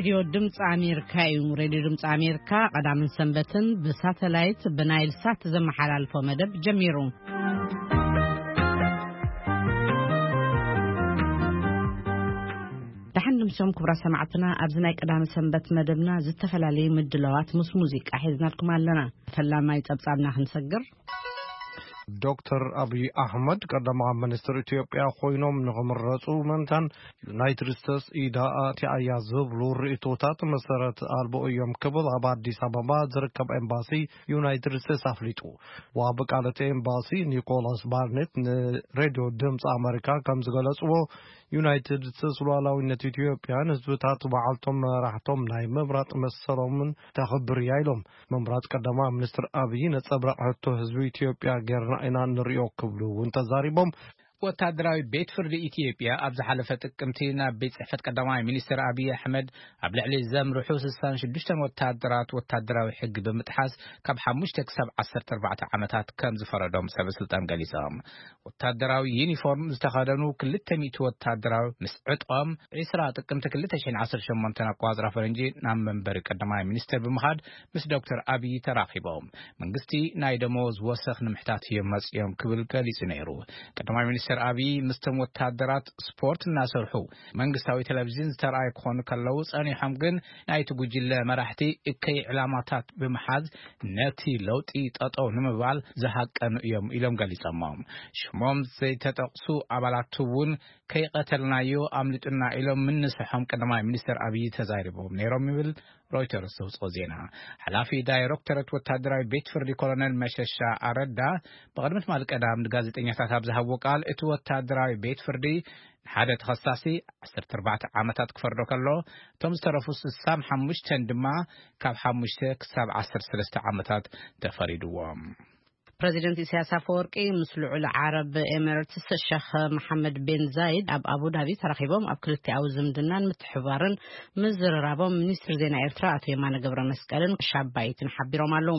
ሬድዮ ድምፂ ኣሜሪካ እዩ። ሬድዮ ድምፂ ኣሜሪካ ቀዳምን ሰንበትን ብሳተላይት ብናይል ሳት ዘመሓላልፎ መደብ ጀሚሩ። ደሓን ንምሶም ክቡራት ሰማዕትና፣ ኣብዚ ናይ ቀዳሚ ሰንበት መደብና ዝተፈላለዩ ምድላዋት ምስ ሙዚቃ ሒዝናልኩም ኣለና። ፈላማይ ጸብጻብና ክንሰግር። ዶክተር ኣብይ ኣሕመድ ቀዳማዊ ሚኒስትር ኢትዮጵያ ኮይኖም ንኽምረፁ ምእንታን ዩናይትድ ስቴትስ ኢዳ ኣትያ'ያ ዝብሉ ርእይቶታት መሰረት ኣልቦ እዮም ክብል ኣብ ኣዲስ ኣበባ ዝርከብ ኤምባሲ ዩናይትድ ስቴትስ ኣፍሊጡ። ዋቢ ቃል እቲ ኤምባሲ ኒኮላስ ባርኔት ንሬድዮ ድምፂ ኣመሪካ ከም ዝገለፅዎ፣ ዩናይትድ ስቴትስ ሉዓላዊነት ኢትዮጵያን ህዝብታት ባዕልቶም መራሕቶም ናይ ምምራፅ መሰሎምን ተኽብር እያ ኢሎም። ምምራፅ ቀዳማዊ ሚኒስትር ኣብይ ነፀብራቕ ሕቶ ህዝቢ ኢትዮጵያ ጌርና ኢና ንሪኦ ክብሉ እውን ተዛሪቦም። ወታደራዊ ቤት ፍርዲ ኢትዮጵያ ኣብ ዝሓለፈ ጥቅምቲ ናብ ቤት ጽሕፈት ቀዳማይ ሚኒስትር ኣብይ ኣሕመድ ኣብ ልዕሊ ዘምርሑ ስሳን ሽዱሽተን ወታደራት ወታደራዊ ሕጊ ብምጥሓስ ካብ ሓሙሽተ ክሳብ ዓሰርተ ኣርባዕተ ዓመታት ከም ዝፈረዶም ሰበ ስልጣን ገሊጾም። ወታደራዊ ዩኒፎርም ዝተኸደኑ ክልተ ሚእቲ ወታደራዊ ምስ ዕጥቖም ዒስራ ጥቅምቲ ክልተ ሽሕን ዓሰርተ ሸሞንተን ኣቆጻጽራ ፈረንጂ ናብ መንበሪ ቀዳማይ ሚኒስትር ብምኻድ ምስ ዶክተር ኣብይ ተራኺቦም። መንግስቲ ናይ ደመወዝ ወሰኽ ንምሕታት እዮም መጺኦም ክብል ገሊጹ ነይሩ። ቀዳማይ ሚኒስትር ኣብይ ምስቶም ወታደራት ስፖርት እናሰርሑ መንግስታዊ ቴሌቪዥን ዝተረኣዩ ክኾኑ ከለዉ ጸኒሖም ግን ናይቲ ጉጅለ መራሕቲ እከይ ዕላማታት ብምሓዝ ነቲ ለውጢ ጠጠው ንምባል ዝሃቀኑ እዮም ኢሎም ገሊጾሞ። ሽሞም ዘይተጠቕሱ ኣባላት እውን ከይቐተልናዮ ኣምሊጡና ኢሎም ምንስሖም ቀዳማይ ሚኒስትር ኣብይ ተዛሪቦም ነይሮም ይብል ሮይተርስ ዘውፅኦ ዜና። ሓላፊ ዳይሬክቶሬት ወታደራዊ ቤት ፍርዲ ኮሎኔል መሸሻ ኣረዳ ብቕድሚ ትማሊ ቀዳም ንጋዜጠኛታት ኣብ ዝሃብዎ ቃል እቲ ወታደራዊ ቤት ፍርዲ ንሓደ ተኸሳሲ ዓሰርተ ኣርባዕተ ዓመታት ክፈርዶ ከሎ እቶም ዝተረፉ ስሳን ሓሙሽተን ድማ ካብ ሓሙሽተ ክሳብ ዓሰርተ ሰለስተ ዓመታት ተፈሪድዎም። ፕረዚደንት ኢሳያስ ኣፈወርቂ ምስ ልዑል ዓረብ ኤሚሬትስ ሸኽ መሓመድ ቤን ዛይድ ኣብ ኣቡዳቢ ተራኺቦም ኣብ ክልቲኣዊ ዝምድናን ምትሕባርን ምዝርራቦም ሚኒስትር ዜና ኤርትራ ኣቶ የማነ ገብረ መስቀልን ሻባይትን ሓቢሮም ኣለዉ።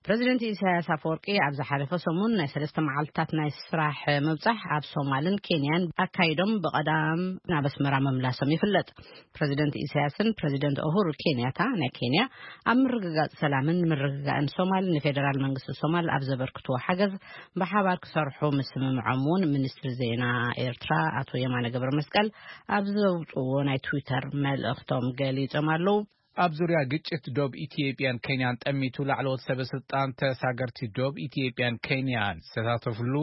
ፕረዚደንት ኢሳያስ ኣፈወርቂ ኣብ ዝሓለፈ ሰሙን ናይ ሰለስተ መዓልትታት ናይ ስራሕ ምብጻሕ ኣብ ሶማልን ኬንያን ኣካይዶም ብቐዳም ናብ ኣስመራ ምምላሶም ይፍለጥ። ፕረዚደንት ኢሳያስን ፕረዚደንት ኡሁሩ ኬንያታ ናይ ኬንያ ኣብ ምርግጋጽ ሰላምን ምርግጋእን ሶማል ንፌደራል መንግስቲ ሶማል ኣብ ዘበርክትዎ ሓገዝ ብሓባር ክሰርሑ ምስምምዖም እውን ሚኒስትሪ ዜና ኤርትራ ኣቶ የማነ ገብረ መስቀል ኣብ ዘውፅዎ ናይ ትዊተር መልእኽቶም ገሊጾም ኣለዉ። ኣብ ዙርያ ግጭት ዶብ ኢትዮጵያን ኬንያን ጠሚቱ ላዕለዎት ሰበ ስልጣን ተሳገርቲ ዶብ ኢትዮጵያን ኬንያን ዝተሳተፍሉ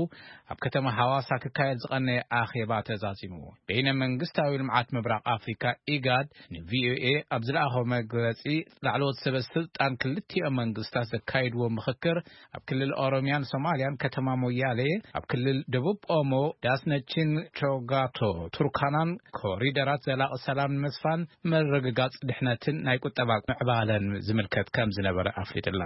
ኣብ ከተማ ሃዋሳ ክካየድ ዝቐነየ ኣኼባ ተዛዚሙ። በይነ መንግስታዊ ልምዓት ምብራቕ ኣፍሪካ ኢጋድ ንቪኦኤ ኣብ ዝለኣኸው መግለጺ ላዕለዎት ሰበ ስልጣን ክልቲኦም መንግስታት ዘካይድዎ ምኽክር ኣብ ክልል ኦሮሚያን ሶማሊያን ከተማ ሞያሌ፣ ኣብ ክልል ደቡብ ኦሞ ዳስነችን ቾጋቶ ቱርካናን ኮሪደራት ዘላቒ ሰላም ንምስፋን ምርግጋጽ ድሕነትን ናይ ቁጠባ ምዕባለን ዝምልከት ከም ዝነበረ ኣፍሊጥላ።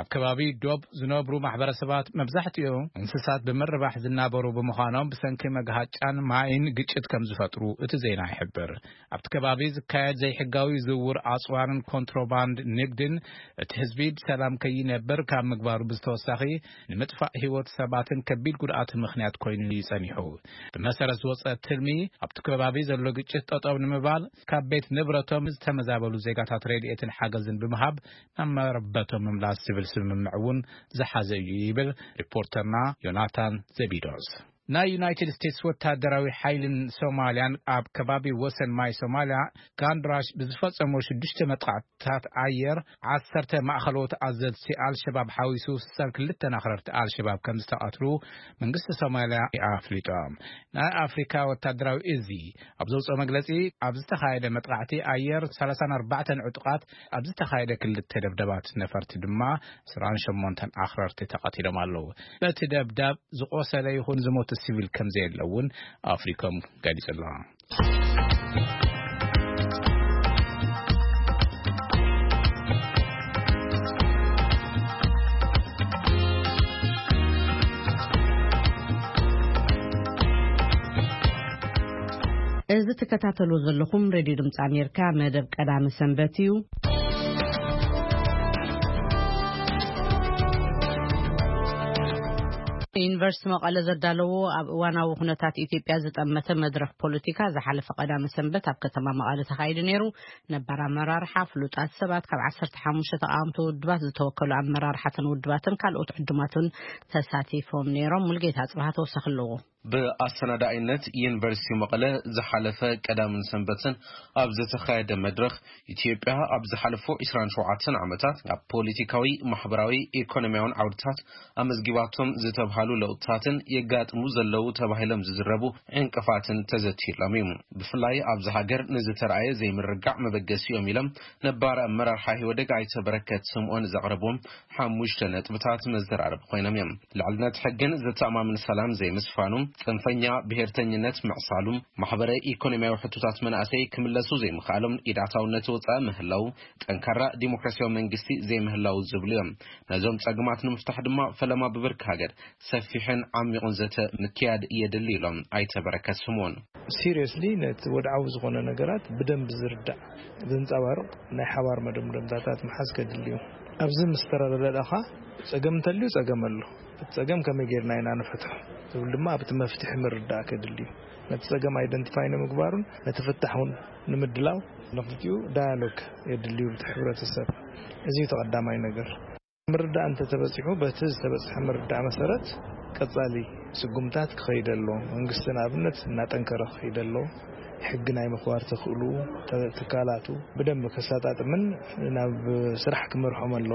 ኣብ ከባቢ ዶብ ዝነብሩ ማሕበረሰባት መብዛሕትኡ እንስሳት ብምርባሕ ዝናበሩ ብምዃኖም ብሰንኪ መግሃጫን ማይን ግጭት ከም ዝፈጥሩ እቲ ዜና ይሕብር። ኣብቲ ከባቢ ዝካየድ ዘይሕጋዊ ዝውውር ኣጽዋርን ኮንትሮባንድ ንግድን እቲ ህዝቢ ብሰላም ከይነብር ካብ ምግባሩ ብዝተወሳኺ ንምጥፋእ ህይወት ሰባትን ከቢድ ጉድኣት ምኽንያት ኮይኑ እዩ ጸኒሑ። ብመሰረት ዝወጸ ትልሚ ኣብቲ ከባቢ ዘሎ ግጭት ጠጠው ንምባል ካብ ቤት ንብረቶም ዝተመዛበሉ ዜጋታት ረድኤትን ሓገዝን ብምሃብ ናብ መረበቶም ምምላስ ዝብል ስምምዕ እውን ዝሓዘ እዩ ይብል ሪፖርተርና ዮናታን ዘቢዶስ። ናይ ዩናይትድ ስቴትስ ወታደራዊ ሓይልን ሶማልያን ኣብ ከባቢ ወሰን ማይ ሶማልያ ጋንድራሽ ብዝፈጸሞ ሽዱሽተ መጥቃዕትታት ኣየር ዓሰርተ ማእኸሎት ኣዘዝቲ ኣልሸባብ ሓዊሱ ስሳን ክልተን ኣኽረርቲ ኣልሸባብ ከም ዝተቐትሉ መንግስቲ ሶማልያ ኣፍሊጡ። ናይ ኣፍሪካ ወታደራዊ እዚ ኣብ ዘውፅኦ መግለፂ ኣብ ዝተኻየደ መጥቃዕቲ ኣየር ሰላሳን ኣርባዕተን ዕጡቓት ኣብ ዝተኻየደ ክልተ ደብደባት ነፈርቲ ድማ ዕስራን ሸሞንተን ኣኽረርቲ ተቐቲሎም ኣለዉ። በቲ ደብዳብ ዝቖሰለ ይኹን ዝሞተ ሲቪል ከም ዘየለ እውን ኣፍሪኮም ገሊጹ ኣሎ። እዚ ትከታተሉ ዘለኹም ሬድዮ ድምፂ ኣሜሪካ መደብ ቀዳሚ ሰንበት እዩ። ዩኒቨርሲቲ መቐለ ዘዳለዎ ኣብ እዋናዊ ኩነታት ኢትዮጵያ ዝጠመተ መድረኽ ፖለቲካ ዝሓለፈ ቀዳመ ሰንበት ኣብ ከተማ መቐለ ተኻይዱ ነይሩ። ነባር ኣመራርሓ፣ ፍሉጣት ሰባት፣ ካብ ዓሰርተ ሓሙሽተ ተቓወምቲ ውድባት ዝተወከሉ ኣመራርሓትን ውድባትን ካልኦት ዕዱማትን ተሳቲፎም ነይሮም። ሙልጌታ ኣጽብሃ ተወሳኺ ኣለዎ። ብኣሰናዳኢነት ዩኒቨርሲቲ መቐለ ዝሓለፈ ቀዳምን ሰንበትን ኣብ ዝተኻየደ መድረኽ፣ ኢትዮጵያ ኣብ ዝሓለፉ ዕስራን ሸውዓተን ዓመታት ኣብ ፖለቲካዊ፣ ማሕበራዊ፣ ኢኮኖሚያውን ዓውድታት ኣመዝጊባቶም ዝተብሃሉ ለውጥታትን የጋጥሙ ዘለዉ ተባሂሎም ዝዝረቡ ዕንቅፋትን ተዘቲሎም እዩ። ብፍላይ ኣብዚ ሃገር ንዝተረኣየ ዘይምርግጋዕ መበገሲ እዮም ኢሎም ነባር ኣመራርሓ ኢህወደግ ኣይተ በረከት ስምኦን ዘቕረብዎም ሓሙሽተ ነጥብታት መዘራረቢ ኮይኖም እዮም። ልዕልነት ሕግን ዘተኣማምን ሰላም ዘይምስፋኑ፣ ጽንፈኛ ብሄርተኝነት ምዕሳሉ፣ ማሕበረ ኢኮኖሚያዊ ሕቶታት መናእሰይ ክምለሱ ዘይምኽኣሎም፣ ኢድ ኣታውነት ወጻኢ ምህላው፣ ጠንካራ ዲሞክራሲያዊ መንግስቲ ዘይምህላው ዝብሉ እዮም። ነዞም ጸገማት ንምፍታሕ ድማ ፈለማ ብብርኪ ሃገር ሰፊሕን ዓሚቑን ዘተ ምክያድ የድሊ ኢሎም ኣይተ በረከት ስምኦን። ሲሪየስሊ ነቲ ወድዓዊ ዝኾነ ነገራት ብደንብ ዝርዳእ ዘንጸባርቕ ናይ ሓባር መደምደምታታት ምሓዝ ከድሊ እዩ። ኣብዚ ምስ ተረዳዳእኻ ጸገም እንተልዩ ጸገም ኣሎ። እቲ ጸገም ከመይ ጌርና ኢና ንፈትሖ ዝብል ድማ ኣብቲ መፍትሒ ምርዳእ ከድሊ እዩ። ነቲ ጸገም ኣይደንቲፋይ ንምግባሩን ነቲ ፍታሕ እውን ንምድላው ንክልቲኡ ዳያሎግ የድልዩ ብቲ ሕብረተሰብ። እዚ እዩ ተቐዳማይ ነገር። ምርዳእ እንተተበጺሑ በቲ ዝተበጽሐ ምርዳእ መሰረት ቀጻሊ ስጉምታት ክኸይድ ኣሎ። መንግስቲ ንኣብነት እናጠንከረ ክኸይድ ኣሎ። ሕጊ ናይ ምኽባር ተኽእሉ ትካላቱ ብደንብ ከሳጣጥምን ናብ ስራሕ ክመርሖም ኣሎ።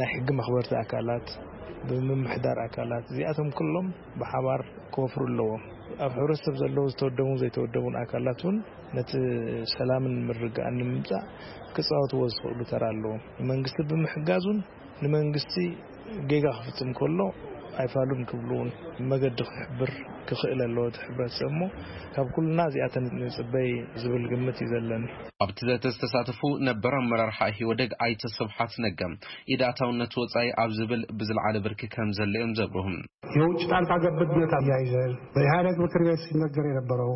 ናይ ሕጊ መኽበርቲ ኣካላት ብምምሕዳር ኣካላት እዚኣቶም ኩሎም ብሓባር ክወፍሩ ኣለዎም። ኣብ ሕብረተሰብ ዘለዉ ዝተወደቡን ዘይተወደቡን ኣካላት እውን ነቲ ሰላምን ምርግጋእን ንምምጻእ ክጻወትዎ ዝኽእሉ ተራ ኣለዎም። ንመንግስቲ ብምሕጋዙን ንመንግስቲ ጌጋ ክፍጽም ከሎ ኣይፋሉን ክብሉ እውን መገዲ ክሕብር ክኽእል ኣለዎ እቲ ሕብረተሰብ እሞ ካብ ኩልና እዚኣተን ንጽበይ ዝብል ግምት እዩ ዘለኒ። ኣብቲ ዘተ ዝተሳተፉ ነበር ኣመራርሓ ኢህወደግ ኣይተ ስብሓት ነጋ ኢድ ኣታውነት ወጻኢ ኣብ ዝብል ብዝለዓለ ብርኪ ከም ዘሎ እዮም ዘብርሁ። የውጭ ጣልቃ ገብነት አያይዘን በኢህአደግ ምክር ቤት ሲነገር የነበረው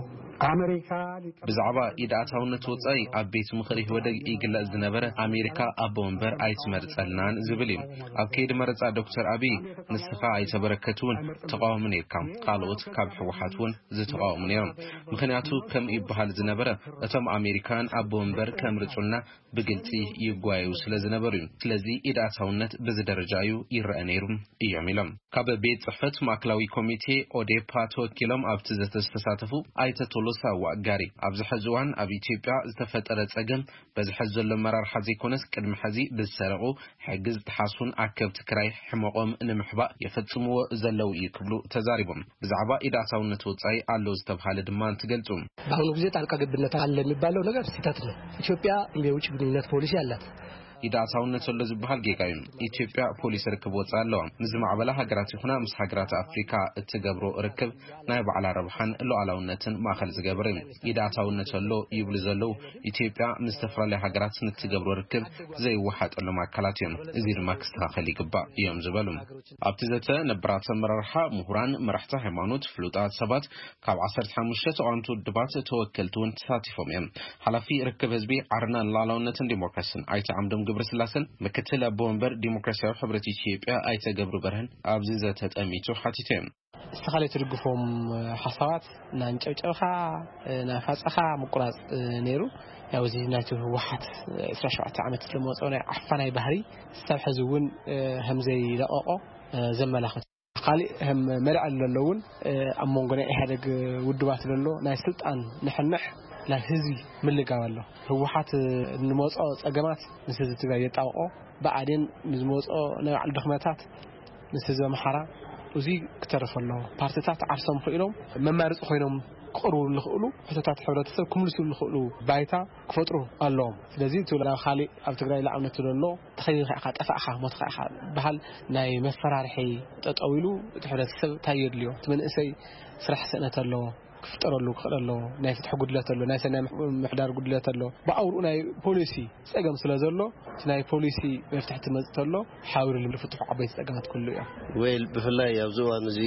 አሜሪካ ብዛዕባ ኢድ ኣታውነት ወጻኢ ኣብ ቤት ምኽሪ ኢህወደግ ይግለጽ ዝነበረ ኣሜሪካ ኣቦ ወንበር ኣይትመርጸልናን ዝብል እዩ። ኣብ ከይዲ መረጻ ዶክተር ኣቢይ ንስኻ ኣይተበረከት እውን ተቃዋሚ ነርካ። ካልኦት ካብ ህወሓት እውን ዝተቃወሙ ነይሮም። ምኽንያቱ ከም ይበሃል ዝነበረ እቶም ኣሜሪካውያን ኣቦ ወንበር ከምርጹልና ብግልጺ ይጓየዩ ስለ ዝነበሩ እዩ። ስለዚ ኢድ ኣታውነት በዚ ደረጃ እዩ ይረአ ነይሩ እዮም ኢሎም። ካብ ቤት ጽሕፈት ማእከላዊ ኮሚቴ ኦዴፓ ተወኪሎም ኣብቲ ዘተ ዝተሳተፉ ኣይተ ቶሎሳ ዋጋሪ ኣብዚ ሕዚ እዋን ኣብ ኢትዮጵያ ዝተፈጠረ ጸገም በዚ ሕዚ ዘሎ ኣመራርሓ ዘይኮነስ ቅድሚ ሕዚ ብዝሰረቑ ሕጊ ዝጠሓሱን ኣከብቲ ክራይ ሕመቖም ንምሕባእ የፈጽምዎ ዘለዉ እዩ ክብሉ ተዛሪቦም። ብዛዕባ ኢድ ኣታውነት ወጻኢ ኣሎ ዝተብሃለ ድማ እንትገልጹ። በአሁኑ ጊዜ ጣልቃ ገብነት አለ የሚባለው ነገር ስህተት ነው። ኢትዮጵያ የውጭ ግንኙነት ፖሊሲ አላት። ኢድ ኣታውነት ኣሎ ዝበሃል ጌጋ እዩ። ኢትዮጵያ ፖሊሲ ርክብ ወጻኢ ኣለዋ። ምስ ዝማዕበላ ሃገራት ይኹና ምስ ሃገራት ኣፍሪካ እትገብሮ ርክብ ናይ ባዕላ ረብሓን ሉዓላውነትን ማእኸል ዝገበረ እዩ። ኢድ ኣታውነት ኣሎ ይብሉ ዘለዉ ኢትዮጵያ ምስ ዝተፈላለዩ ሃገራት ንትገብሮ ርክብ ዘይወሓጠሎም ኣካላት እዮም። እዚ ድማ ክስተኻኸል ይግባእ እዮም ዝበሉ። ኣብቲ ዘተ ነባራት ኣመራርሓ፣ ምሁራን፣ መራሕቲ ሃይማኖት፣ ፍሉጣት ሰባት፣ ካብ ዓሰርተ ሓሙሽተ ተቓወምቲ ውድባት ተወከልቲ እውን ተሳቲፎም እዮም። ሓላፊ ርክብ ህዝቢ ዓረና ንሉዓላውነትን ዲሞክራሲን ኣይተ ዓምዶም ገብረስላሰን ምክትል ኣቦ ወንበር ዲሞክራሲያዊ ሕብረት ኢትዮጵያ ኣይተ ገብሩ በርሀን ኣብዚ ዘተ ጠሚቱ ሓቲቶም እዮም። ንስኻ ዘይትድግፎም ሓሳባት እናንጨብጨብኻ ናፋፀኻ ምቁራፅ ነይሩ። ያው እዚ ናይቲ ህወሓት ዕስራ ሸውዓተ ዓመት ዝመፀ ናይ ዓፋናይ ባህሪ ክሳብ ሕዚ እውን ከምዘይለቐቖ ዘመላኽት። ካሊእ ከም መልዐሊ ዘሎ እውን ኣብ መንጎ ናይ ኢህኣደግ ውድባት ዘሎ ናይ ስልጣን ንሕንሕ ናብ ህዝቢ ምልጋብ ኣሎ። ህወሓት ንመፅኦ ፀገማት ምስ ህዝቢ ትግራይ የጣብቆ፣ ብኣዴን ንዝመፅኦ ናይ ባዕሉ ድኽመታት ምስ ህዝቢ ኣምሓራ እዚ ክተርፍ ኣለዎ። ፓርቲታት ዓርሶም ክኢሎም መማርፂ ኮይኖም ክቕርቡ ዝኽእሉ ሕቶታት ሕብረተሰብ ክምልሱ ዝኽእሉ ባይታ ክፈጥሩ ኣለዎም። ስለዚ እቲ ናብ ካሊእ ኣብ ትግራይ ላዕነት ዘሎ ተኸይኻ ኢኻ ጠፋእኻ ሞትኻ ኢኻ በሃል ናይ መፈራርሒ ጠጠው ኢሉ እቲ ሕብረተሰብ እንታይ የድልዮ? እቲ መንእሰይ ስራሕ ስእነት ኣለዎ። ክፍጠረሉ ክኽእል ኣለዎ። ናይ ፍትሒ ጉድለት ኣሎ፣ ናይ ሰናይ ምሕ- ምሕዳር ጉድለት ኣሎ። ብኣውርኡ ናይ ፖሊሲ ጸገም ስለ ዘሎ፣ እቲ ናይ ፖሊሲ መፍትሒ ትመጽእ ተሎ ሓውሪ ልፍትሑ ዓበይቲ ጸገማት ኩሉ እዮም። ወይል ብፍላይ ኣብዚ እዋን እዚ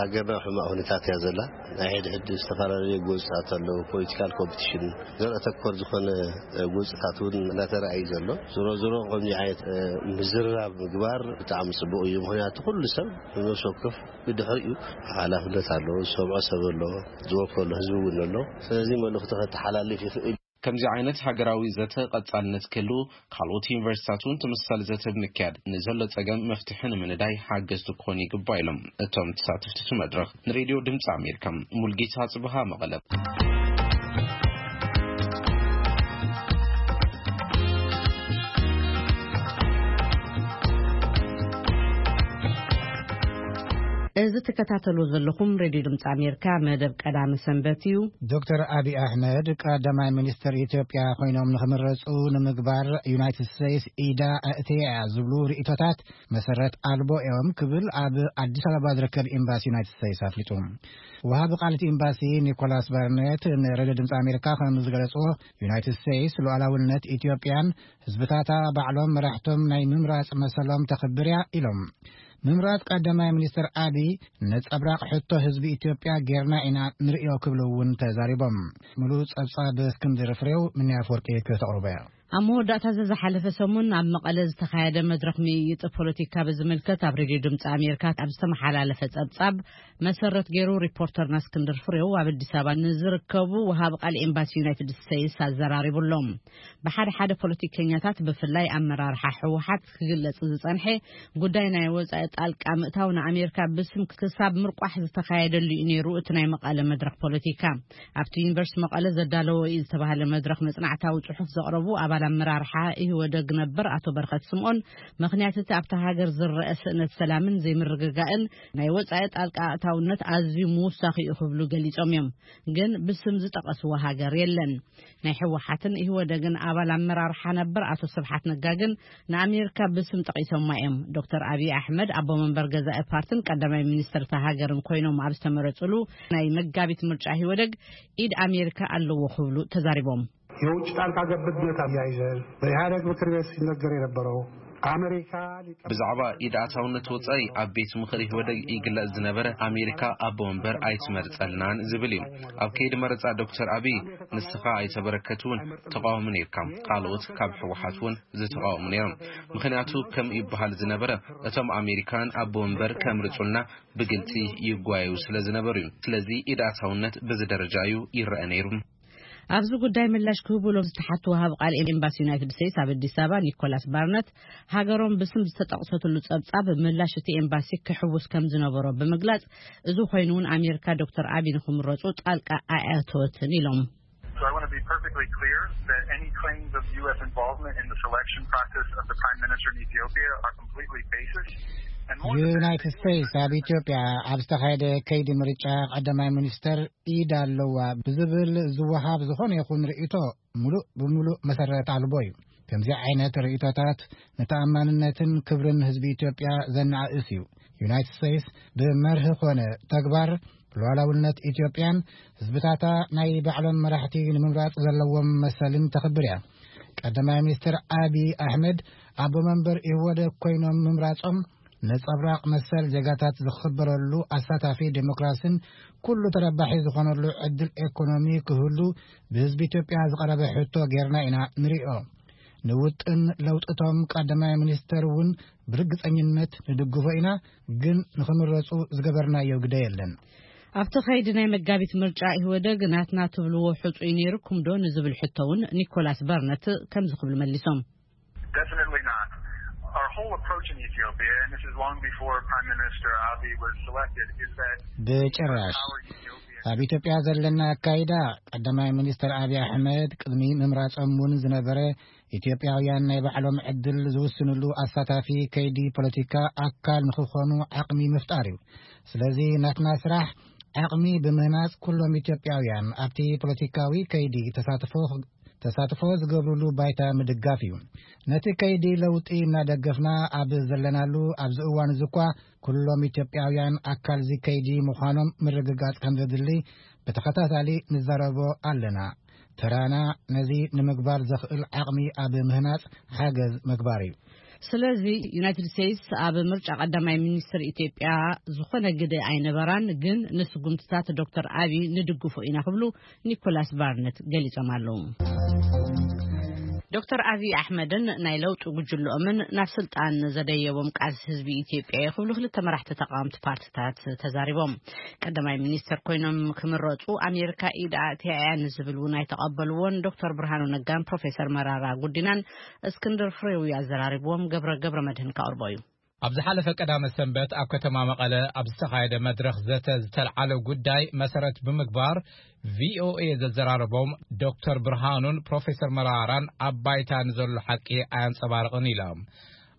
ሃገርና ኣብ ሕማቕ ኩነታት እያ ዘላ። ናይ ሕድሕድ ዝተፈላለዩ ጎንፅታት ኣለዉ። ፖለቲካል ኮምፒቲሽን፣ ዘር ኣተኮር ዝኾነ ጎንፅታት እውን እናተረኣዩ ዘሎ። ዝሮ ዝሮ ከምዚ ዓይነት ምዝርራብ ምግባር ብጣዕሚ ፅቡቅ እዩ። ምክንያቱ ኩሉ ሰብ ብነፍሲ ወከፍ ብድሕሪኡ ሓላፍነት ኣለዎ። ዝሰምዖ ሰብ ኣለዎ፣ ዝወከሎ ህዝቢ እውን ኣሎ። ስለዚ መልእኽቲ ከተሓላልፍ ይኽእል። ከምዚ ዓይነት ሃገራዊ ዘተ ቀጻልነት ክህልው፣ ካልኦት ዩኒቨርሲታት እውን ተመሳሳሊ ዘተ ብምክያድ፣ ንዘሎ ጸገም መፍትሒ ንምንዳይ ሓገዝቲ ክኾኑ ይግባእ ኢሎም እቶም ተሳተፍቲ እቲ መድረኽ። ንሬድዮ ድምፂ ኣሜሪካ፣ ሙልጌታ ጽብሃ፣ መቐለ። እዚ ትከታተሉ ዘለኹም ሬድዮ ድምፂ ኣሜሪካ መደብ ቀዳመ ሰንበት እዩ። ዶክተር ኣቢ ኣሕመድ ቀዳማይ ሚኒስትር ኢትዮጵያ ኮይኖም ንክምረፁ ንምግባር ዩናይትድ ስቴትስ ኢዳ ኣእትያ እያ ዝብሉ ርእቶታት መሰረት ኣልቦ እዮም ክብል ኣብ ኣዲስ ኣበባ ዝርከብ ኤምባሲ ዩናይትድ ስቴትስ ኣፍሊጡ። ወሃቢ ቃል እቲ ኤምባሲ ኒኮላስ ባርኔት ንሬድዮ ድምፂ ኣሜሪካ ከም ዝገለፅዎ፣ ዩናይትድ ስቴትስ ሉዓላውነት ኢትዮጵያን ህዝብታታ ባዕሎም መራሕቶም ናይ ምምራፅ መሰሎም ተኽብር እያ ኢሎም። ምምራፅ ቀዳማይ ሚኒስትር ኣቢ ነፀብራቕ ሕቶ ህዝቢ ኢትዮጵያ ጌርና ኢና ንርእዮ ክብሉ እውን ተዛሪቦም። ሙሉእ ፀብፃብ እስክንድር ፍሬው፣ ምንያ ኣፈወርቂ ክተቕርቦ እያ። ኣብ መወዳእታ እዚ ዝሓለፈ ሰሙን ኣብ መቐለ ዝተኻየደ መድረኽ ምይይጥ ፖለቲካ ብዝምልከት ኣብ ሬድዮ ድምፂ ኣሜሪካ ኣብ ዝተመሓላለፈ ፀብፃብ መሰረት ገይሩ፣ ሪፖርተርና እስክንድር ፍሬው ኣብ ኣዲስ ኣበባ ንዝርከቡ ወሃቢ ቃል ኤምባሲ ዩናይትድ ስቴትስ ኣዘራሪቡ ኣሎ። ብሓደ ሓደ ፖለቲከኛታት፣ ብፍላይ ኣመራርሓ ህወሓት ክግለጽ ዝጸንሐ ጉዳይ ናይ ወጻኢ ጣልቃ ምእታው ንኣሜሪካ ብስም ክሳብ ምርቋሕ ዝተኻየደሉ እዩ ነይሩ እቲ ናይ መቐለ መድረኽ ፖለቲካ። ኣብቲ ዩኒቨርሲቲ መቐለ ዘዳለዎ እዩ ዝተባህለ መድረኽ መጽናዕታዊ ጽሑፍ ዘቕረቡ ኣባል ኣመራርሓ ኢህወደግ ነበር ኣቶ በረኸት ስምኦን፣ ምኽንያት እቲ ኣብታ ሃገር ዝረአ ስእነት ሰላምን ዘይምርግጋእን ናይ ወጻኢ ጣልቃ ኣእታውነት ኣዝዩ ምውሳኽ እዩ ክብሉ ገሊጾም እዮም። ግን ብስም ዝጠቐስዎ ሃገር የለን። ናይ ህወሓትን ኢህወደግን ኣባል ኣመራርሓ ነበር ኣቶ ስብሓት ነጋ ግን ንኣሜሪካ ብስም ጠቒሶማ እዮም። ዶክተር ኣብይ ኣሕመድ ኣቦ መንበር ገዛኢ ፓርትን ቀዳማይ ሚኒስትር እታ ሃገርን ኮይኖም ኣብ ዝተመረጹሉ ናይ መጋቢት ምርጫ ኢህወደግ ኢድ ኣሜሪካ ኣለዎ ክብሉ ተዛሪቦም። የውጭ ጣልቃ ገብነት አያይዘን በኢህአደግ ምክር ቤት ሲነገር የነበረው አሜሪካ ብዛዕባ ኢድ ኣታውነት ወጻኢ ኣብ ቤት ምኽሪ ኢህወደግ ይግለጽ ዝነበረ ኣሜሪካ ኣቦ ወንበር ኣይትመርጸልናን ዝብል እዩ። ኣብ ከይዲ መረጻ ዶክተር ኣብይ ንስኻ ኣይተበረከትውን ተቃዋሚ ነርካ፣ ካልኦት ካብ ህወሓት እውን ዝተቃወሙ ነይሮም። ምክንያቱ ከም ይበሃል ዝነበረ እቶም ኣሜሪካን ኣቦ ወንበር ከምርጹልና ብግልጺ ይጓየዩ ስለ ዝነበሩ እዩ። ስለዚ ኢድ ኣታውነት በዚ ደረጃ እዩ ይረአ ነይሩ። ኣብዚ ጉዳይ ምላሽ ክህቡ ኢሎም ዝተሓቱ ወሃቢ ቃል ኤምባሲ ዩናይትድ ስቴትስ ኣብ ኣዲስ ኣበባ ኒኮላስ ባርነት፣ ሃገሮም ብስም ዝተጠቕሰትሉ ጸብጻብ ምላሽ እቲ ኤምባሲ ክሕውስ ከም ዝነበሮ ብምግላጽ፣ እዚ ኮይኑ እውን ኣሜሪካ ዶክተር ኣቢ ንክምረጹ ጣልቃ ኣየእተወትን ኢሎም። So I want to be perfectly clear that any claims of U S involvement in the selection process of the Prime Minister in Ethiopia are completely baseless. And more than that, ዩናይትድ ስቴትስ ኣብ ኢትዮጵያ ኣብ ዝተኻየደ ከይዲ ምርጫ ቀዳማይ ሚኒስተር ኢድ ኣለዋ ብዝብል ዝወሃብ ዝኾነ ይኹን ርእይቶ ሙሉእ ብሙሉእ መሰረት ኣልቦ እዩ። ከምዚ ዓይነት ርእይቶታት ንተኣማንነትን ክብርን ህዝቢ ኢትዮጵያ ዘነኣእስ እዩ። ዩናይትድ ስቴትስ ብመርህ ኮነ ተግባር ሉዓላውነት ኢትዮጵያን ህዝብታታ ናይ ባዕሎም መራሕቲ ንምምራፅ ዘለዎም መሰልን ተኽብር እያ። ቀዳማይ ሚኒስትር ኣቢ ኣሕመድ ኣቦ መንበር ኢህወደግ ኮይኖም ምምራፆም ነፀብራቕ መሰል ዜጋታት ዝኽበረሉ ኣሳታፊ ዴሞክራሲን ኩሉ ተረባሒ ዝኾነሉ ዕድል ኤኮኖሚ ክህሉ ብህዝቢ ኢትዮጵያ ዝቐረበ ሕቶ ጌርና ኢና ንሪኦ። ንውጥን ለውጥቶም ቀዳማይ ሚኒስተር እውን ብርግፀኝነት ንድግፎ ኢና፣ ግን ንኽምረፁ ዝገበርናዮ ግደ የለን። ኣብቲ ኸይዲ ናይ መጋቢት ምርጫ ኢህወደግ ናትና ትብልዎ ሕጹይ ነይርኩም ዶ ንዝብል ሕቶ እውን ኒኮላስ በርነት ከምዚ ክብሉ መሊሶም። Definitely not. Our whole approach in Ethiopia, and this is long before Prime Minister Abiy was selected, is that ብጭራሽ። ኣብ ኢትዮጵያ ዘለና ኣካይዳ ቀዳማይ ሚኒስትር ኣብይ ኣሕመድ ቅድሚ ምምራጾም እውን ዝነበረ ኢትዮጵያውያን ናይ ባዕሎም ዕድል ዝውስንሉ ኣሳታፊ ከይዲ ፖለቲካ ኣካል ንክኾኑ ዓቕሚ ምፍጣር እዩ። ስለዚ ናትና ስራሕ ዓቕሚ ብምህናጽ ኩሎም ኢትዮጵያውያን ኣብቲ ፖለቲካዊ ከይዲ ተሳትፎ ተሳትፎ ዝገብርሉ ባይታ ምድጋፍ እዩ። ነቲ ከይዲ ለውጢ እናደገፍና ኣብ ዘለናሉ ኣብዚ እዋን እዚ እኳ፣ ኩሎም ኢትዮጵያውያን ኣካል እዚ ከይዲ ምዃኖም ምርግጋጽ ከም ዘድሊ ብተኸታታሊ ንዛረቦ ኣለና። ተራና ነዚ ንምግባር ዘኽእል ዓቕሚ ኣብ ምህናጽ ሓገዝ ምግባር እዩ። ስለዚ ዩናይትድ ስቴትስ ኣብ ምርጫ ቀዳማይ ሚኒስትር ኢትዮጵያ ዝኾነ ግደ ኣይነበራን፣ ግን ንስጉምትታት ዶክተር ኣቢ ንድግፎ ኢና ክብሉ ኒኮላስ ባርነት ገሊጾም ኣለዉ። ዶክተር ኣቢ ኣሕመድን ናይ ለውጢ ጉጅልኦምን ናብ ስልጣን ዘደየቦም ቃልሲ ህዝቢ ኢትዮጵያ እዩ ክብሉ ክልተ መራሕቲ ተቃወምቲ ፓርትታት ተዛሪቦም። ቀዳማይ ሚኒስትር ኮይኖም ክምረጹ ኣሜሪካ ኢድ ኣእትያ እያ ንዝብል እውን ኣይተቐበልዎን። ዶክተር ብርሃኑ ነጋን ፕሮፌሰር መራራ ጉዲናን እስክንድር ፍሬው እዩ ኣዘራሪብዎም። ገብረ ገብረ መድህን ከቕርቦ እዩ። ኣብ ዝሓለፈ ቀዳመ ሰንበት ኣብ ከተማ መቐለ ኣብ ዝተኻየደ መድረኽ ዘተ ዝተልዓለ ጉዳይ መሰረት ብምግባር፣ ቪኦኤ ዘዘራረቦም ዶክተር ብርሃኑን ፕሮፌሰር መራራን ኣብ ባይታ ንዘሎ ሓቂ ኣየንጸባርቕን ኢሎም።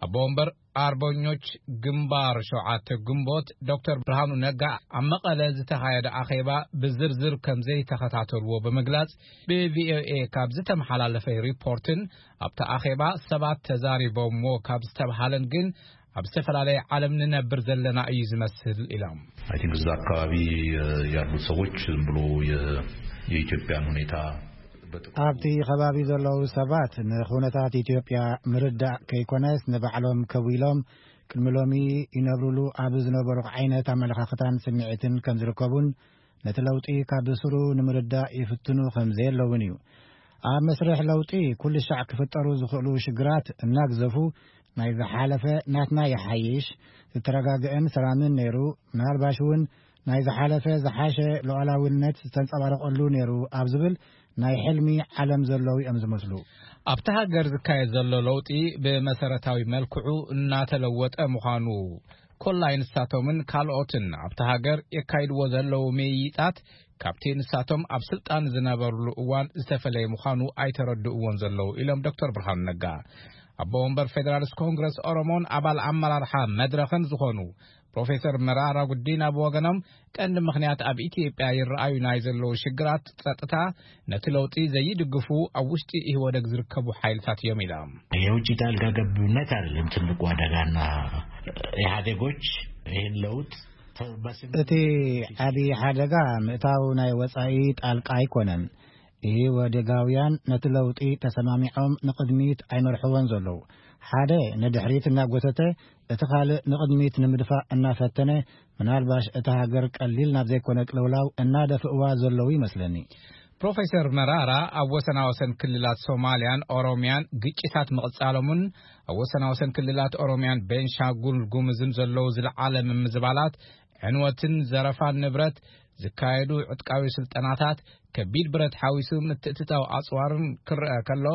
ኣቦ ወንበር ኣርበኞች ግንባር ሸውዓተ ግንቦት ዶክተር ብርሃኑ ነጋ ኣብ መቐለ ዝተኻየደ ኣኼባ ብዝርዝር ከም ዘይተኸታተልዎ ብምግላጽ፣ ብቪኦኤ ካብ ዝተመሓላለፈ ሪፖርትን ኣብቲ ኣኼባ ሰባት ተዛሪቦምዎ ካብ ዝተብሃለን ግን ኣብ ዝተፈላለየ ዓለም ንነብር ዘለና እዩ ዝመስል ኢሎም። I think እዛ አካባቢ ያሉት ሰዎች ዝም ብሎ የኢትዮጵያን ሁኔታ ኣብቲ ከባቢ ዘለዉ ሰባት ንኹነታት ኢትዮጵያ ምርዳእ ከይኮነስ ንባዕሎም ከዊሎም ቅድሚ ሎሚ ይነብሩሉ ኣብ ዝነበሩ ዓይነት ኣመለኻኽታን ስምዒትን ከም ዝርከቡን ነቲ ለውጢ ካብ ስሩ ንምርዳእ ይፍትኑ ከም ዘየለውን እዩ። ኣብ መስርሕ ለውጢ ኩሉ ሻዕ ክፍጠሩ ዝኽእሉ ሽግራት እናግዘፉ ናይ ዝሓለፈ ናትና ይሓይሽ፣ ዝተረጋግአን ሰላምን ነይሩ፣ ምናልባሽ እውን ናይ ዝሓለፈ ዝሓሸ ሉዓላውነት ዝተንጸባረቐሉ ነይሩ ኣብ ዝብል ናይ ሕልሚ ዓለም ዘለዉ እዮም ዝመስሉ። ኣብቲ ሃገር ዝካየድ ዘሎ ለውጢ ብመሰረታዊ መልክዑ እናተለወጠ ምዃኑ ኮላይ ንሳቶምን ካልኦትን ኣብቲ ሃገር የካይድዎ ዘለዉ ምይይጣት ካብቲ ንሳቶም ኣብ ስልጣን ዝነበርሉ እዋን ዝተፈለየ ምዃኑ ኣይተረድእዎን ዘለዉ ኢሎም ዶክተር ብርሃኑ ነጋ። ኣቦ ወንበር ፌደራሊስት ኮንግረስ ኦሮሞን ኣባል ኣመራርሓ መድረኽን ዝኾኑ ፕሮፌሰር መራራ ጉዲና ብወገኖም ቀንዲ ምኽንያት ኣብ ኢትዮጵያ ይረኣዩ ናይ ዘለዉ ሽግራት ጸጥታ ነቲ ለውጢ ዘይድግፉ ኣብ ውሽጢ ኢህወደግ ዝርከቡ ሓይልታት እዮም ኢሎም። የውጭ ጣልቃ ገብነት አይደለም ትልቁ አደጋና ኢህአዴጎች ይህን ለውጥ እቲ ዓብዪ ሓደጋ ምእታው ናይ ወጻኢ ጣልቃ ኣይኮነን። ኢህወደጋውያን ነቲ ለውጢ ተሰማሚዖም ንቕድሚት ኣይመርሕዎን ዘለዉ። ሓደ ንድሕሪት እናጎተተ እቲ ካልእ ንቕድሚት ንምድፋእ እናፈተነ ምናልባሽ እታ ሃገር ቀሊል ናብ ዘይኮነ ቅልውላው እናደፍእዋ ዘለዉ ይመስለኒ። ፕሮፌሰር መራራ ኣብ ወሰናወሰን ክልላት ሶማልያን ኦሮምያን ግጭታት ምቕጻሎምን ኣብ ወሰናወሰን ክልላት ኦሮምያን ቤንሻንጉል ጉምዝን ዘለዉ ዝለዓለ ምምዝባላት ዕንወትን ዘረፋን ንብረት ዝካየዱ ዕጥቃዊ ስልጠናታት ከቢድ ብረት ሓዊሱ ምትእትታው ኣጽዋርን ክረአ ከሎ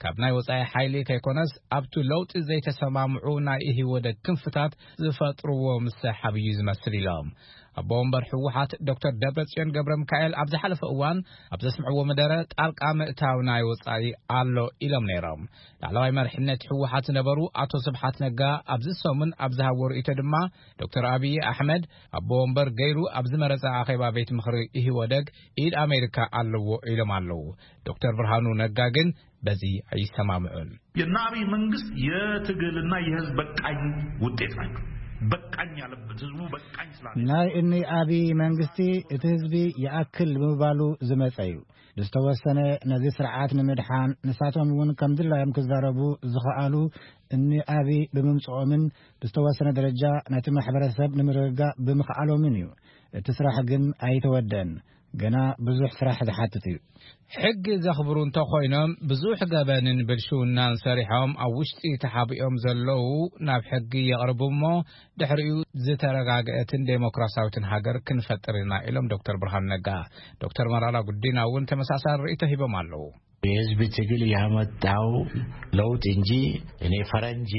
ካብ ናይ ወጻኢ ሓይሊ ከይኮነስ ኣብቱ ለውጢ ዘይተሰማምዑ ናይ ኢህወደግ ክንፍታት ዝፈጥርዎ ምሰሓብ እዩ ዝመስል ኢሎም። ኣቦ ወንበር ህወሓት ዶክተር ደብረጽዮን ገብረ ሚካኤል ኣብ ዝሓለፈ እዋን ኣብ ዘስምዕዎ መደረ ጣልቃ ምእታው ናይ ወጻኢ ኣሎ ኢሎም ነይሮም። ላዕለዋይ መርሕነት ህወሓት ዝነበሩ ኣቶ ስብሓት ነጋ ኣብዚ ሰሙን ኣብ ዝሃብዎ ርእይቶ ድማ ዶክተር ኣብይ ኣሕመድ ኣቦ ወንበር ገይሩ ኣብ ዝመረጸ ኣኼባ ቤት ምኽሪ ኢህወደግ ኢድ ኣሜሪካ ኣለዎ ኢሎም ኣለዉ። ዶክተር ብርሃኑ ነጋ ግን በዚ ኣይሰማምዑን። የናቢ መንግስት የትግልና የህዝብ በቃኝ ውጤት ናቸው። በቃኝ ያለበት ህዝቡ በቃኝ ስላለ ናይ እኒ ኣብይ መንግስቲ እቲ ህዝቢ ይኣክል ብምባሉ ዝመጸ እዩ። ዝተወሰነ ነዚ ስርዓት ንምድሓን ንሳቶም እውን ከም ድላዮም ክዛረቡ ዝኸኣሉ እኒ ኣብይ ብምምጽኦምን ብዝተወሰነ ደረጃ ነቲ ማሕበረሰብ ንምርግጋእ ብምኽኣሎምን እዩ። እቲ ስራሕ ግን ኣይተወደን። ገና ብዙሕ ስራሕ ዝሓትት እዩ። ሕጊ ዘኽብሩ እንተኾይኖም ብዙሕ ገበንን ብልሽውናን ሰሪሖም ኣብ ውሽጢ ተሓቢኦም ዘለዉ ናብ ሕጊ የቕርቡ እሞ ድሕሪኡ ዝተረጋግአትን ዴሞክራሲያዊትን ሃገር ክንፈጥር ኢና ኢሎም ዶክተር ብርሃኑ ነጋ። ዶክተር መራራ ጉዲና እውን ተመሳሳሊ ርእይቶ ሂቦም ኣለዉ። የህዝብ ትግል ያመጣው ለውጥ እንጂ እኔ ፈረንጅ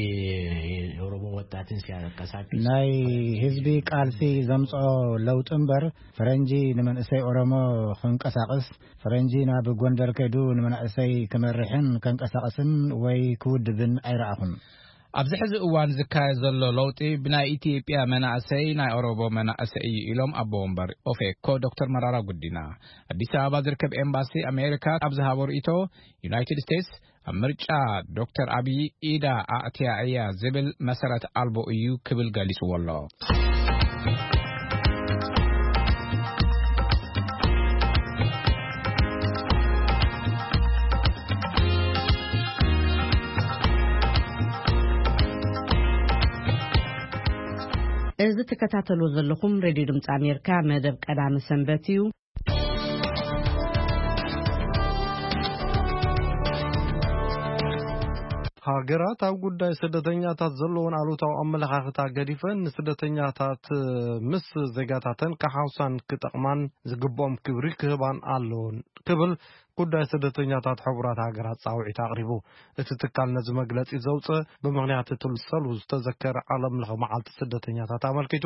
የኦሮሞ ወጣትን ሲያንቀሳቅስ ናይ ህዝቢ ቃልሲ ዘምጽኦ ለውጢ እምበር ፈረንጂ ንመንእሰይ ኦሮሞ ክንቀሳቕስ ፈረንጂ ናብ ጎንደር ከይዱ ንመናእሰይ ክመርሕን ከንቀሳቕስን ወይ ክውድብን ኣይረኣኹን። ኣብዚ ሕዚ እዋን ዝካየድ ዘሎ ለውጢ ብናይ ኢትዮጵያ መናእሰይ፣ ናይ ኦሮሞ መናእሰይ እዩ ኢሎም ኣቦ ወንበር ኦፌኮ ዶክተር መራራ ጉዲና። ኣዲስ ኣበባ ዝርከብ ኤምባሲ ኣሜሪካ ኣብ ዝሃቦ ርእይቶ፣ ዩናይትድ ስቴትስ ኣብ ምርጫ ዶክተር ኣብይ ኢዳ ኣእትያ እያ ዝብል መሰረት ኣልቦ እዩ ክብል ገሊጽዎ ኣሎ። እዚ ትከታተሉ ዘለኹም ሬድዮ ድምፂ ኣሜሪካ መደብ ቀዳመ ሰንበት እዩ። ሃገራት ኣብ ጉዳይ ስደተኛታት ዘለውን ኣሉታዊ ኣመለኻኽታ ገዲፈን ንስደተኛታት ምስ ዜጋታተን ክሓውሳን ክጠቕማን ዝግብኦም ክብሪ ክህባን ኣለውን ክብል ጉዳይ ስደተኛታት ሕቡራት ሃገራት ጻውዒት ኣቕሪቡ። እቲ ትካል ነዚ መግለጺ ዘውፅእ ብምኽንያት እቲ ሰሉ ዝተዘከረ ዓለም ለኸ መዓልቲ ስደተኛታት ኣመልኪቱ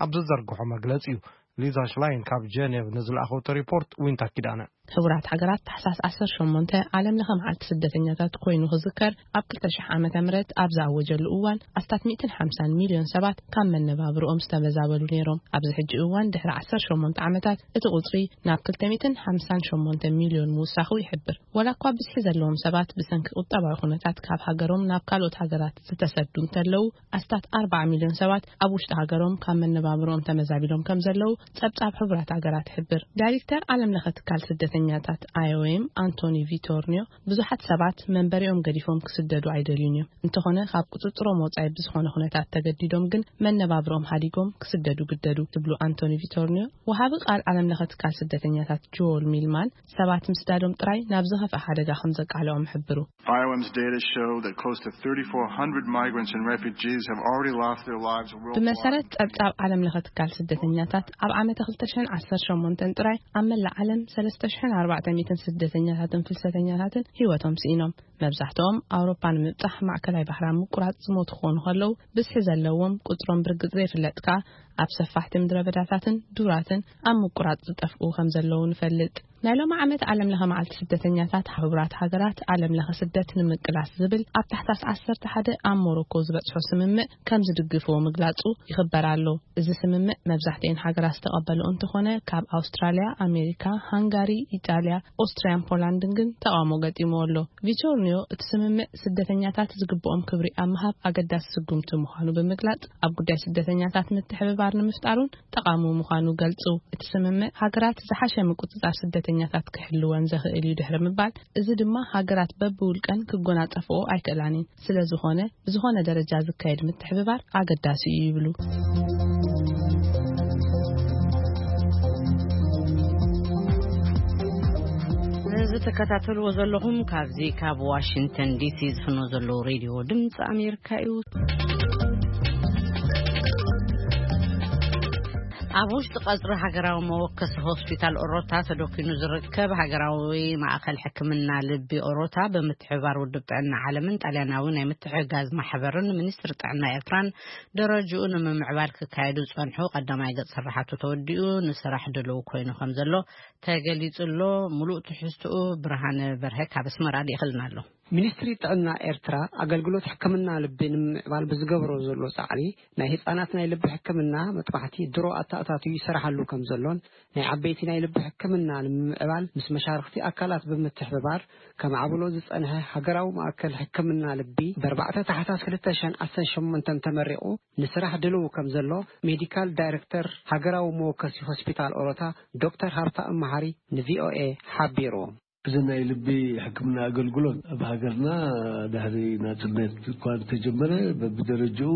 ኣብ ዝዘርግሖ መግለጺ እዩ። ሊዛ ሽላይን ካብ ጀኔቭ ንዝለኣኸቶ ሪፖርት ዊንታ ኪዳነ። ሕቡራት ሃገራት ታሕሳስ ዓሰርተ ሸሞንተ ዓለም ለኸ መዓልቲ ስደተኛታት ኮይኑ ክዝከር ኣብ ክልተ ሽሕ ዓመተ ምህረት ኣብ ዝኣወጀሉ እዋን ኣስታት ሚእትን ሓምሳን ሚልዮን ሰባት ካብ መነባብርኦም ዝተመዛበሉ ነይሮም። ኣብዚ ሕጂ እዋን ድሕሪ ዓሰርተ ሸሞንተ ዓመታት እቲ ቁጽሪ ናብ ክልተ ሚእትን ሓምሳን ሸሞንተ ሚልዮን ምውሳኹ ይሕብር። ወላ እኳ ብዝሒ ዘለዎም ሰባት ብሰንኪ ቁጠባዊ ኩነታት ካብ ሃገሮም ናብ ካልኦት ሃገራት ዝተሰዱ እንተለዉ፣ ኣስታት ኣርባዓ ሚልዮን ሰባት ኣብ ውሽጢ ሃገሮም ካብ መነባብሮኦም ተመዛቢሎም ከም ዘለዉ ጸብጻብ ሕቡራት ሃገራት ይሕብር። ዳይሬክተር ዓለም ለኸ ትካል ስደተኛታት ኣይኦኤም ኣንቶኒ ቪቶርኒዮ፣ ብዙሓት ሰባት መንበሪኦም ገዲፎም ክስደዱ ኣይደልዩን እዮም። እንተኾነ ካብ ቁጽጽሮም ወጻኢ ብዝኾነ ኩነታት ተገዲዶም ግን መነባብሮም ሃዲጎም ክስደዱ ግደዱ ትብሉ ኣንቶኒ ቪቶርኒዮ፣ ወሃቢ ቃል ዓለም ለኸ ትካል ስደተኛታት ጆል ሚልማን ሰባት ምስዳዶም ጥራይ ናብ ዝኸፍአ ሓደጋ ከም ዘቃልዖም ሕብሩ። I O M's data show that close to thirty-four hundred migrants and refugees have already lost their lives worldwide. ብመሰረት ጸብጻብ ዓለም ለኸ ትካል ስደተኛታት ኣብ ዓመተ ክልተ ሽሕን ዓሰርተ ሸሞንተን ጥራይ ኣብ መላእ ዓለም ሰለስተ ሽሕን ኣርባዕተ ሚእትን ስደተኛታትን ፍልሰተኛታትን ህይወቶም ስኢኖም። መብዛሕትኦም ኣውሮፓ ንምብጻሕ ማእከላይ ባሕራ ምቁራጽ ዝሞቱ ክኾኑ ከለዉ፣ ብዝሒ ዘለዎም ቁጽሮም ብርግጽ ዘይፍለጥ ከኣ ኣብ ሰፋሕቲ ምድረ በዳታትን ዱራትን ኣብ ምቁራጽ ዝጠፍኡ ከም ዘለዉ ንፈልጥ። ናይ ሎሚ ዓመት ዓለም ለኸ መዓልቲ ስደተኛታት ሕቡራት ሃገራት ዓለም ለኸ ስደት ንምቅላስ ዝብል ኣብ ታሕሳስ ዓሰርተ ሓደ ኣብ ሞሮኮ ዝበጽሖ ስምምዕ ከም ዝድግፍዎ ምግላጹ ይኽበር ኣሎ። እዚ ስምምዕ መብዛሕትኤን ሃገራት ዝተቐበልኦ እንተኾነ፣ ካብ ኣውስትራልያ፣ ኣሜሪካ፣ ሃንጋሪ፣ ኢጣልያ፣ ኦስትርያን ፖላንድን ግን ተቓውሞ ገጢምዎ ኣሎ። ቪቶርኒዮ እቲ ስምምዕ ስደተኛታት ዝግብኦም ክብሪ ኣብ ምሃብ ኣገዳሲ ስጉምቲ ምዃኑ ብምግላጽ፣ ኣብ ጉዳይ ስደተኛታት ምትሕብባር ንምፍጣሩን ጠቓሚ ምዃኑ ገልጹ። እቲ ስምምዕ ሃገራት ዝሓሸ ምቁጽጻር ስደተኛታት ክሕልወን ዘኽእል እዩ ድሕሪ ምባል፣ እዚ ድማ ሃገራት በብውልቀን ክጎናጸፍኦ ኣይክእላን እየን። ስለ ዝኾነ፣ ብዝኾነ ደረጃ ዝካየድ ምትሕብባር ኣገዳሲ እዩ ይብሉ። እዚ ትከታተልዎ ዘለኹም ካብዚ ካብ ዋሽንግተን ዲሲ ዝፍኖ ዘለዉ ሬድዮ ድምፂ ኣሜሪካ እዩ። ኣብ ውሽጢ ቀጽሪ ሃገራዊ መወከሲ ሆስፒታል ኦሮታ ተደኪኑ ዝርከብ ሃገራዊ ማእከል ሕክምና ልቢ ኦሮታ ብምትሕብባር ውድብ ጥዕና ዓለምን ጣልያናዊ ናይ ምትሕግጋዝ ማሕበርን ሚኒስትሪ ጥዕና ኤርትራን ደረጅኡ ንምምዕባል ክካየዱ ዝጸንሑ ቀዳማይ ገጽ ስራሓቱ ተወዲኡ ንስራሕ ድልው ኮይኑ ከም ዘሎ ተገሊጹ ኣሎ። ምሉእ ትሕዝትኡ ብርሃነ በርሀ ካብ ኣስመራ ልኢኽልና ኣሎ። ሚኒስትሪ ጥዕና ኤርትራ ኣገልግሎት ሕክምና ልቢ ንምምዕባል ብዝገብሮ ዘሎ ጻዕሪ ናይ ህጻናት ናይ ልቢ ሕክምና መጥባሕቲ ድሮ ኣተኣታትዩ ይሰራሓሉ ከም ዘሎን ናይ ዓበይቲ ናይ ልቢ ሕክምና ንምምዕባል ምስ መሻርኽቲ ኣካላት ብምትሕብባር ከማዕብሎ ዝጸንሐ ሃገራዊ ማእከል ሕክምና ልቢ ብኣርባዕተ ታሕሳስ ክልተ ሽሕን ዓሰርተ ሸሞንተን ተመሪቑ ንስራሕ ድልው ከም ዘሎ ሜዲካል ዳይሬክተር ሃገራዊ መወከሲ ሆስፒታል ኦሮታ ዶክተር ሃብታ እመሃሪ ንቪኦኤ ሓቢሩ። እዚ ናይ ልቢ ሕክምና ኣገልግሎት ኣብ ሃገርና ድሕሪ ናጽነት እኳ እንተጀመረ፣ በብደረጅኡ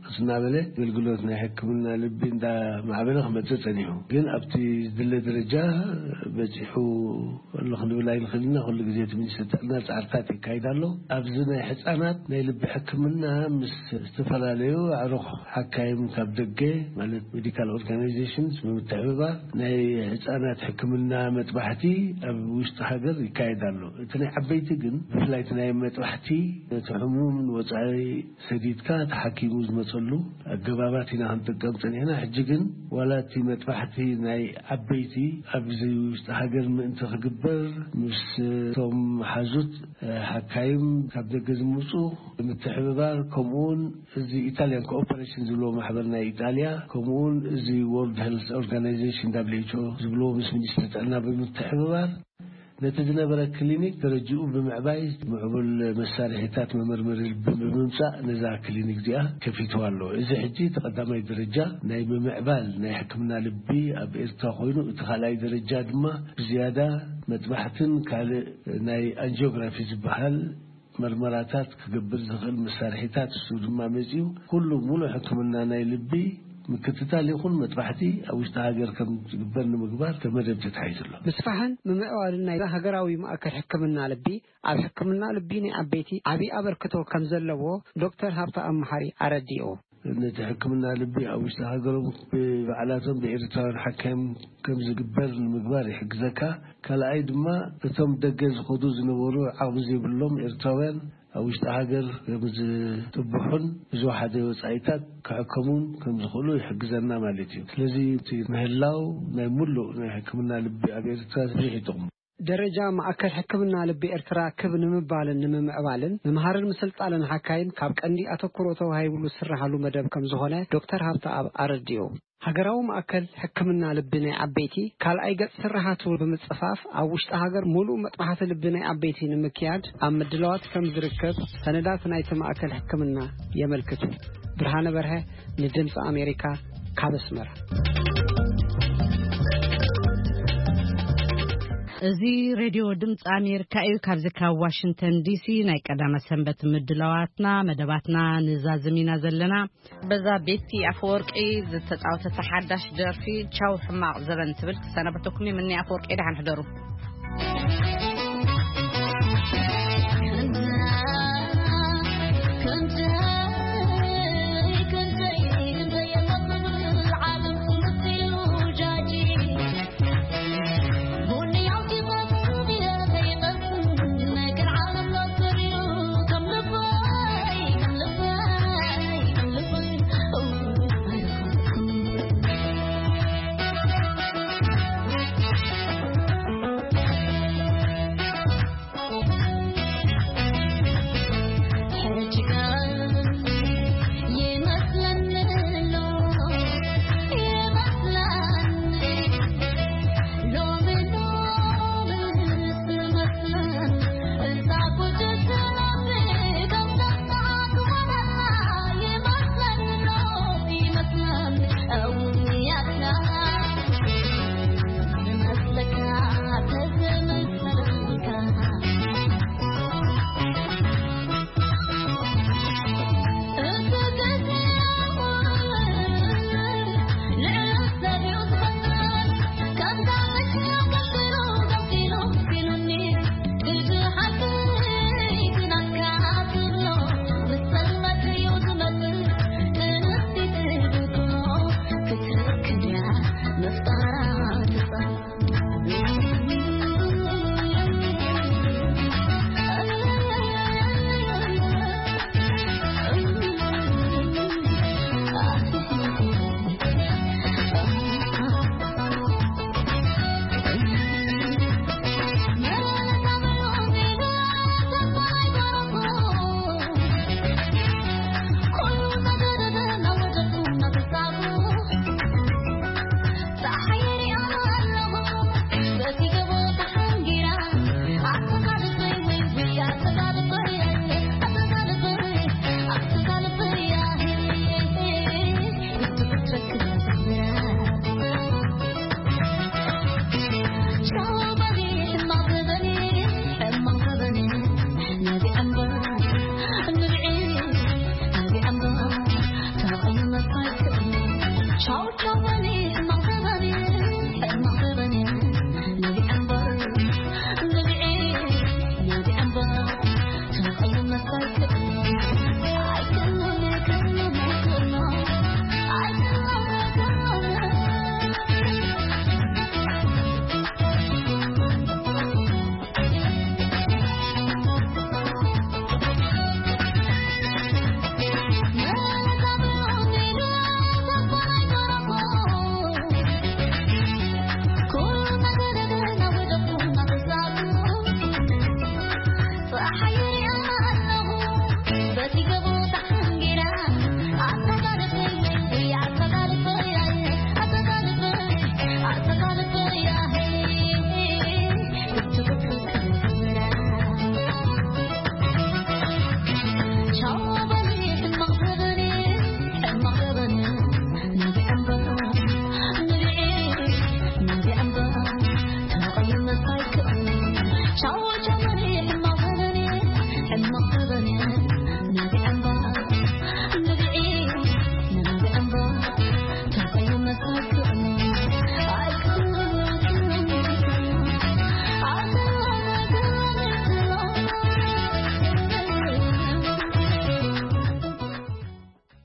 ቀስ እናበለ ኣገልግሎት ናይ ሕክምና ልቢ እንዳማዕበለ ክመጽእ ጸኒሑ። ግን ኣብቲ ዝድለ ደረጃ በጺሑ ኣሎ ክንብል ኣይንኽእልን ኢና። ኩሉ ግዜ እቲ ሚኒስትሪ ጥዕና ጻዕርታት የካይድ ኣሎ። ኣብዚ ናይ ህጻናት ናይ ልቢ ሕክምና ምስ ዝተፈላለዩ ኣዕሩኽ ሓካይም ካብ ደገ፣ ማለት ሜዲካል ኦርጋናይዜሽንስ ብምትሕብባር ናይ ህጻናት ሕክምና መጥባሕቲ ኣብ ውሽጢ ሃገር ይካየድ ኣሎ። እቲ ናይ ዓበይቲ ግን፣ ብፍላይ እቲ ናይ መጥባሕቲ፣ እቲ ሕሙም ንወጻኢ ሰዲድካ ተሓኪሙ ዝመጽእ ንመልሰሉ ኣገባባት ኢና ክንጥቀም ጸኒሕና። ሕጂ ግን ዋላ እቲ መጥባሕቲ ናይ ዓበይቲ ኣብዚ ውሽጢ ሃገር ምእንቲ ክግበር ምስቶም ሓዙት ሓካይም ካብ ደገ ዝምፁ ምትሕብባር፣ ከምኡውን እዚ ኢታሊያን ኮኦፐሬሽን ዝብሎ ማሕበር ናይ ኢጣልያ፣ ከምኡውን እዚ ወርልድ ሄልስ ኦርጋናይዜሽን ደብሊው ኤች ኦ ዝብሎ ምስ ሚኒስትሪ ጥዕና ብምትሕብባር ነቲ ዝነበረ ክሊኒክ ደረጅኡ ብምዕባይ ምዕቡል መሳርሒታት መመርመሪ ልቢ ብምምፃእ ነዛ ክሊኒክ እዚኣ ከፊትዋ ኣሎ። እዚ ሕጂ እቲ ቀዳማይ ደረጃ ናይ ምምዕባል ናይ ሕክምና ልቢ ኣብ ኤርትራ ኮይኑ፣ እቲ ካልኣይ ደረጃ ድማ ብዝያዳ መጥባሕትን ካልእ ናይ ኣንጂኦግራፊ ዝበሃል መርመራታት ክገብር ዝኽእል መሳርሒታት እሱ ድማ መጺኡ፣ ኩሉ ሙሉእ ሕክምና ናይ ልቢ ምክትታል ይኹን መጥባሕቲ ኣብ ውሽጢ ሃገር ከም ዝግበር ንምግባር እቲ መደብ ተታሒዙ ኣሎ። ምስፋሕን ምምዕባልን ናይ ሃገራዊ ማእከል ሕክምና ልቢ ኣብ ሕክምና ልቢ ናይ ዓበይቲ ዓቢ ኣበርክቶ ከም ዘለዎ ዶክተር ሃብተኣብ መሓሪ ኣረዲኡ። ነቲ ሕክምና ልቢ ኣብ ውሽጢ ሃገሮም ብባዕላቶም ብኤርትራውያን ሓካይም ከም ዝግበር ንምግባር ይሕግዘካ። ካልኣይ ድማ እቶም ደገ ዝኸዱ ዝነበሩ ዓቕሚ ዘይብሎም ኤርትራውያን ኣብ ውሽጢ ሃገር ከም ዝጥብሑን ብዝወሓደ ወጻኢታት ክሕከሙን ከም ዝኽእሉ ይሕግዘና ማለት እዩ። ስለዚ እቲ ምህላው ናይ ሙሉእ ናይ ሕክምና ልቢ ኣብ ኤርትራ ብዙሕ ይጠቕሙ። ደረጃ ማእከል ሕክምና ልቢ ኤርትራ ክብ ንምባልን ንምምዕባልን ምምሃርን ምስልጣልን ሓካይም ካብ ቀንዲ ኣተኩሮ ተዋሂብሉ ዝስርሓሉ መደብ ከም ዝኾነ ዶክተር ሃብተኣብ ኣረዲኡ። ሃገራዊ ማእከል ሕክምና ልቢ ናይ ዓበይቲ ካልኣይ ገጽ ስርሓቱ ብምጽፋፍ ኣብ ውሽጢ ሃገር ሙሉእ መጥባሕቲ ልቢ ናይ ዓበይቲ ንምክያድ ኣብ ምድላዋት ከም ዝርከብ ሰነዳት ናይቲ ማእከል ሕክምና የመልክቱ። ብርሃነ በርሀ ንድምፂ ኣሜሪካ ካብ ኣስመራ። እዚ ሬድዮ ድምፂ ኣሜሪካ እዩ። ካብዚ ካብ ዋሽንግተን ዲሲ ናይ ቀዳመ ሰንበት ምድላዋትና መደባትና ንዛዝም ኢና ዘለና። በዛ ቤቲ ኣፈወርቂ ዝተፃወተታ ሓዳሽ ደርፊ ቻው ሕማቕ ዘበን ትብል ክሰናበተኩም እዩ። ምኒ ኣፈወርቂ ደሓን ሕደሩ።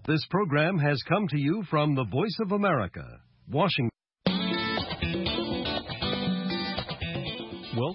This program has come to you from the Voice of America, Washington. Well,